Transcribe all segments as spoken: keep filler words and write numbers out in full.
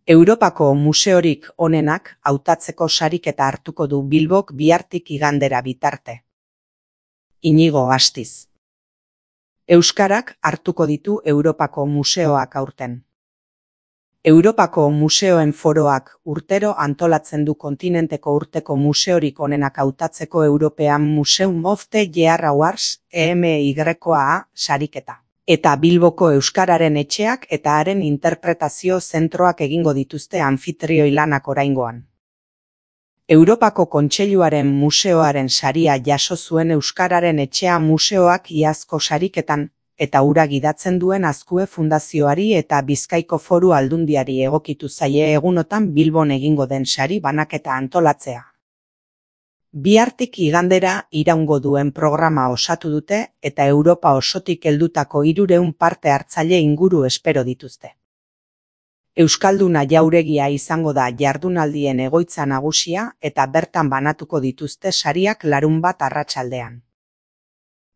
Europako museorik onenak hautatzeko sariketa hartuko du Bilbok bihartik igandera bitarte. Inigo Astiz. Euskarak hartuko ditu Europako museoak aurten. Europako museoen foroak urtero antolatzen du kontinenteko urteko museorik onenak hautatzeko European Museum of the Year Awards E M Y A sariketa. Eta Bilboko Euskararen etxeak eta haren interpretazio zentroak egingo dituzte anfitrioi lanak oraingoan. Europako Kontseiluaren museoaren saria jaso zuen Euskararen etxea museoak iazko sariketan, eta hura gidatzen duen Azkue Fundazioari eta Bizkaiko Foru Aldundiari egokitu zaie egunotan Bilbon egingo den sari banaketa antolatzea. Bihartik igandera iraungo duen programa osatu dute eta Europa osotik heldutako hirurehun parte hartzaile inguru espero dituzte. Euskalduna jauregia izango da jardunaldien egoitza nagusia eta bertan banatuko dituzte sariak larunbat arratsaldean.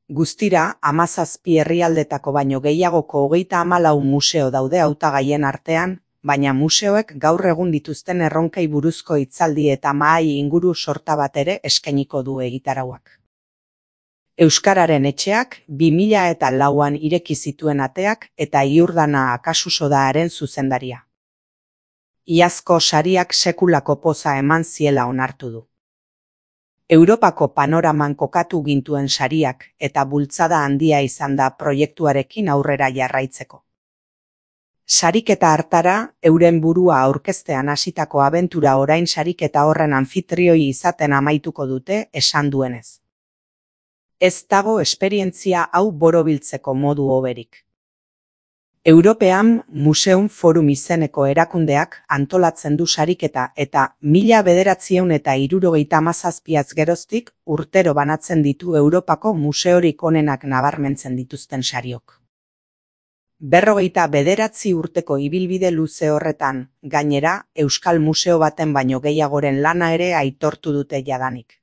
Guztira, hamazazpi herrialdetako baino gehiagoko hogeita hamalau museo daude hautagaien artean, baina museoek gaur egun dituzten erronkei buruzko hitzaldi eta mahai inguru sorta bat ere eskainiko du egitarauak. Euskararen etxeak bi mila eta lauan ireki zituen ateak eta Iurdana Akasuso da haren zuzendaria. Iazko sariak sekulako poza eman ziela onartu du. Europako panoraman kokatu gintuen sariak eta bultzada handia izan da proiektuarekin aurrera jarraitzeko. Sariketa hartara, euren burua aurkeztean hasitako abentura orain sariketa horren anfitrioi izaten amaituko dute esan duenez. Ez dago esperientzia hau borobiltzeko modu hoberik. European Museum Forum izeneko erakundeak antolatzen du sariketa eta mila bederatziehun eta hirurogeita hamazazpiaz geroztik urtero banatzen ditu Europako museorik onenak nabarmentzen dituzten sariok. Berrogeita bederatzi urteko ibilbide luze horretan, gainera, Euskal Museo baten baino gehiagoren lana ere aitortu dute jadanik.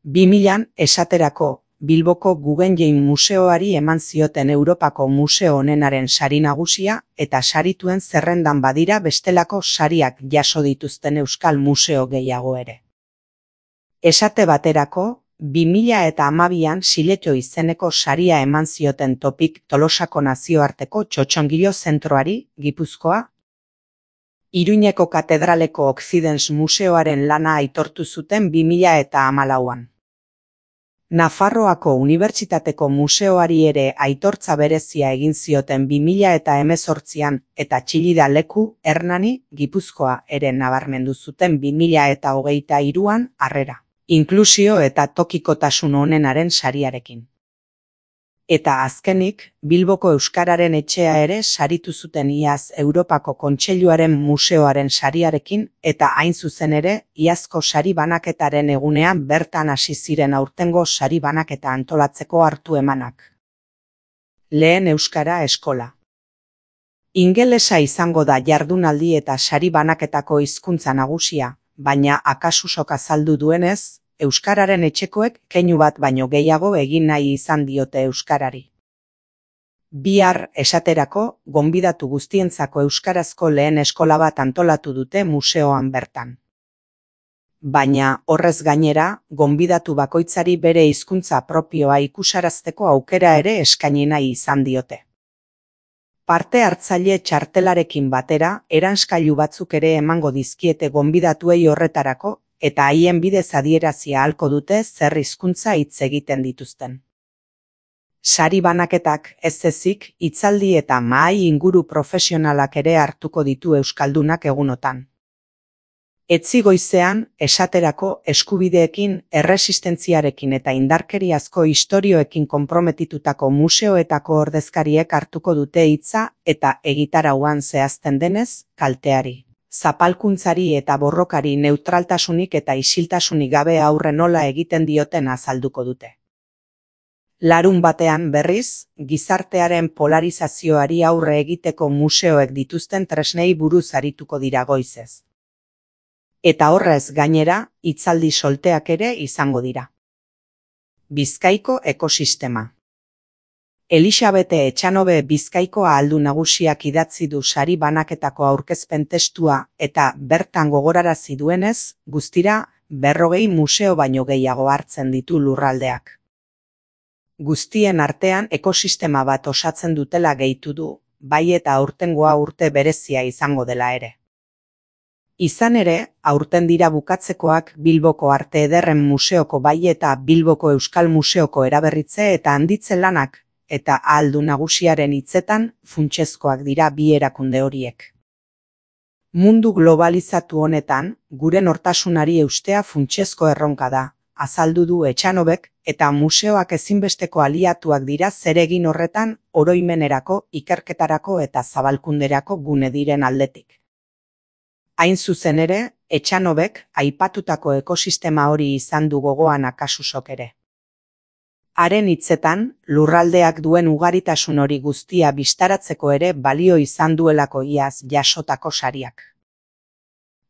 bi milan esaterako, Bilboko Guggenheim Museoari eman zioten Europako museo onenaren sari nagusia eta sarituen zerrendan badira bestelako sariak jaso dituzten Euskal Museo gehiago ere. Esate baterako, bi mila eta hamabian Siletxo izeneko saria eman zioten Topik Tolosako nazioarteko txotxongilo zentroari, Gipuzkoa. Iruñeko Katedraleko Okzidens Museoaren lana aitortu zuten bi mila eta hamalauan. Nafarroako Unibertsitateko Museoari ere aitortza berezia egin zioten bi mila eta hemezortzian eta Txillida Leku, Hernani, Gipuzkoa ere nabarmendu zuten bi mila eta hogeita hiruan harrera, inklusio eta tokikotasun onenaren sariarekin. Eta azkenik, Bilboko Euskararen etxea ere saritu zuten iaz Europako Kontseiluaren museoaren sariarekin eta hain zuzen ere iazko sari banaketaren egunean bertan hasi ziren aurtengo sari banaketa antolatzeko hartu emanak. Lehen Euskara eskola. Ingelesa izango da jardunaldi eta sari banaketako hizkuntza nagusia, baina Akasusok azaldu duenez, Euskararen etxekoek keinu bat baino gehiago egin nahi izan diote Euskarari. Bihar esaterako, gonbidatu guztientzako euskarazko lehen eskola bat antolatu dute museoan bertan. Baina, horrez gainera, gonbidatu bakoitzari bere hizkuntza propioa ikusarazteko aukera ere eskaini nahi izan diote. Parte hartzaile txartelarekin batera, eranskailu batzuk ere emango dizkiete gonbidatuei horretarako, eta haien bidez adierazia ahalko dute zer hizkuntza hitz egiten dituzten. Sari banaketak ez ezik, hitzaldi eta mahai inguru profesionalak ere hartuko ditu euskaldunak egunotan. Etzi goizean, esaterako eskubideekin, erresistentziarekin eta indarkeriazko istorioekin konprometitutako museoetako ordezkariek hartuko dute hitza eta egitarauan zehazten denez, kalteari, zapalkuntzari eta borrokari neutraltasunik eta isiltasunik gabe aurre nola egiten dioten azalduko dute. Larun batean berriz, gizartearen polarizazioari aurre egiteko museoek dituzten tresnei buruz arituko dira goizez. Eta horrez gainera, hitzaldi solteak ere izango dira. Bizkaiko ekosistema. Elisabete Etxanobe Bizkaiko ahaldun nagusiak idatzi du sari banaketako aurkezpen testua eta bertan gogorarazi duenez, guztira berrogei museo baino gehiago hartzen ditu lurraldeak. Guztien artean ekosistema bat osatzen dutela gehitu du, bai eta aurtengoa urte berezia izango dela ere. Izan ere, aurten dira bukatzekoak Bilboko Arte Ederren Museoko bai eta Bilboko Euskal Museoko eraberritze eta handitze lanak, eta ahaldun nagusiaren hitzetan funtsezkoak dira bi erakunde horiek. Mundu globalizatu honetan, gure nortasunari eustea funtsezko erronka da, azaldu du Etxanobek, eta museoak ezinbesteko aliatuak dira zeregin horretan oroimenerako, ikerketarako eta zabalkunderako gune diren aldetik. Hain zuzen ere, Etxanobek aipatutako ekosistema hori izan du gogoan Akasusok ere. Haren hitzetan, lurraldeak duen ugaritasun hori guztia bistaratzeko ere balio izan duelako iaz jasotako sariak.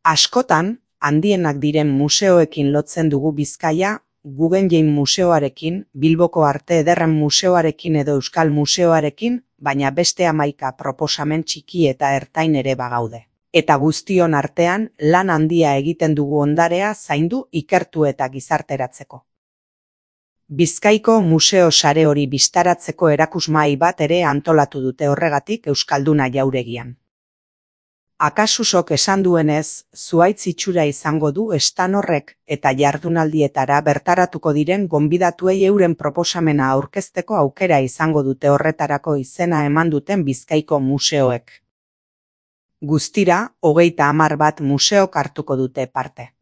Askotan, handienak diren museoekin lotzen dugu Bizkaia, Guggenheim Museoarekin, Bilboko Arte Ederren Museoarekin edo Euskal Museoarekin, baina beste hamaika proposamen txiki eta ertain ere bagaude. Eta guztion artean lan handia egiten dugu ondarea zaindu, ikertu eta gizarteratzeko. Bizkaiko museo sare hori bistaratzeko erakusmahai bat ere antolatu dute horregatik Euskalduna jauregian. Akasusok esan duenez, zuhaitz itxura izango du estan horrek eta jardunaldietara bertaratuko diren gonbidatuei euren proposamena aurkezteko aukera izango dute horretarako izena eman duten Bizkaiko museoek. Guztira, hogeita hamar bat museok hartuko dute parte.